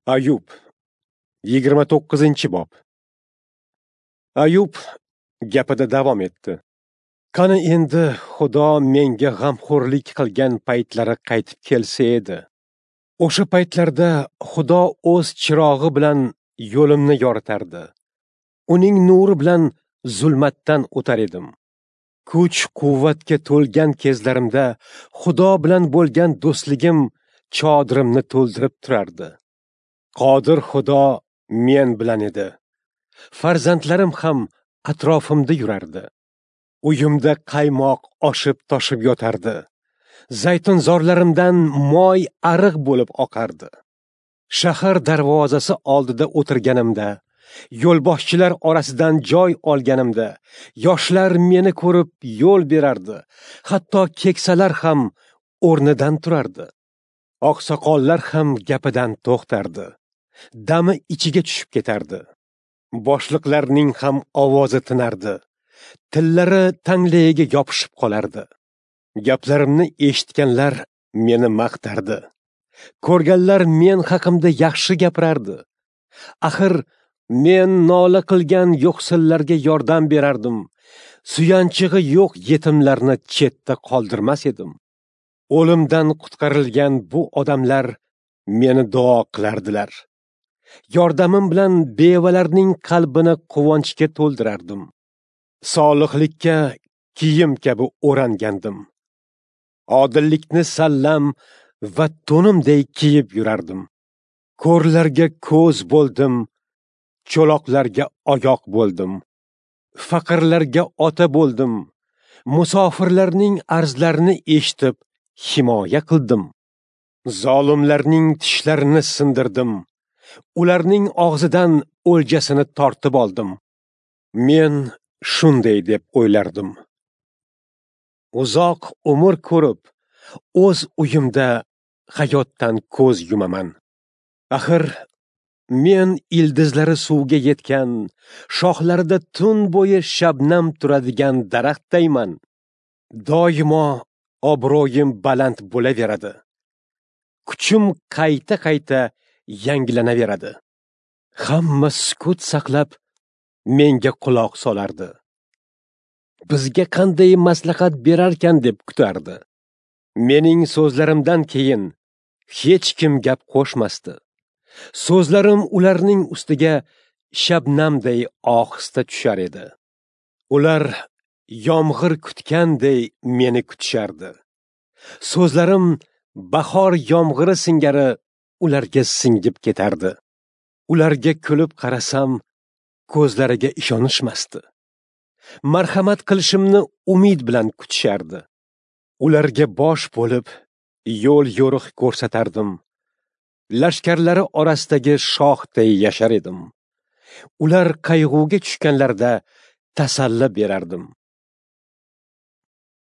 Ayub 29-bob. Ayub gapida davom etdi. Qani endi Xudo menga g'amxo'rlik qilgan paytlari qaytib kelsa edi. O'sha paytlarda Xudo o'z chirog'i bilan yo'limni yoritardi. Uning nuri bilan zulmatdan o'tar edim. Kuch quvvatga to'lgan kezlarimda Xudo bilan bo'lgan do'stligim chodirimni to'ldirib turardi. Qodir Xudo men bilan edi. Farzandlarim ham atrofimda yurardi. Uyimda qaymoq oshib toshib yotardi. Zaytunzorlarimdan moy ariq bo'lib oqardi. Shahar darvozasi oldida o'tirganimda, yo'lboshchilar orasidan joy olganimda, yoshlar meni ko'rib yo'l berardi. Hatto keksalar ham o'rnidan turardi. Oqsoqollar ham gapidan to'xtardi. Dami ichiga tushib ketardi. Boshliqlarning ham ovozi tinardi. Tillari tanglayiga yopishib qolardi. Gaplarimni eshitganlar meni maqtardi. Ko'rganlar men haqimda yaxshi gapirardi. Axir men nola qilgan yo'qsillarga yordam berardim. Suyanchig'i yo'q yetimlarni chetda qoldirmas edim. O'limdan qutqarilgan bu odamlar meni duo qilardilar. Yordamim bilan bevalarning qalbini quvonchga to'ldirardim. Solihlikka kiyim kabi o'rangandim. Odillikni sallam va to'nimday kiyib yurardim. Ko'rlarga ko'z bo'ldim, cho'loqlarga oyoq bo'ldim. Faqirlarga ota bo'ldim. Musofirlarning arzlarini eshitib himoya qildim. Zolimlarning tishlarini sindirdim. Ularning og'zidan o'ljasini tortib oldim. Men shunday deb o'ylardim. Uzoq umr ko'rib, o'z uyimda hayotdan ko'z yumaman. Axir men ildizlari suvga yetgan, shoxlarida tun bo'yi shabnam turadigan daraxtdayman. Doimo obro'yim baland bo'laveradi. Kuchim qayta-qayta yangilanaveradi. Hamma sukut saqlab menga quloq solardi. Bizga qanday maslahat berarkan deb kutardi. Mening so'zlarimdan keyin hech kim gap qo'shmasdi. So'zlarim ularning ustiga shabnamday ohista tushar edi. Ular yomg'ir kutganday meni kutishardi. So'zlarim bahor yomg'iri singari ularga singib ketardi. Ularga kulib qarasam, ko'zlariga ishonishmasdi. Marhamat qilishimni umid bilan kutishardi. Ularga bosh bo'lib, yo'l yo'riq ko'rsatardim. Lashkarlari orasidagi shohday yashar edim. Ular qayg'uga tushganlarida tasalli berardim.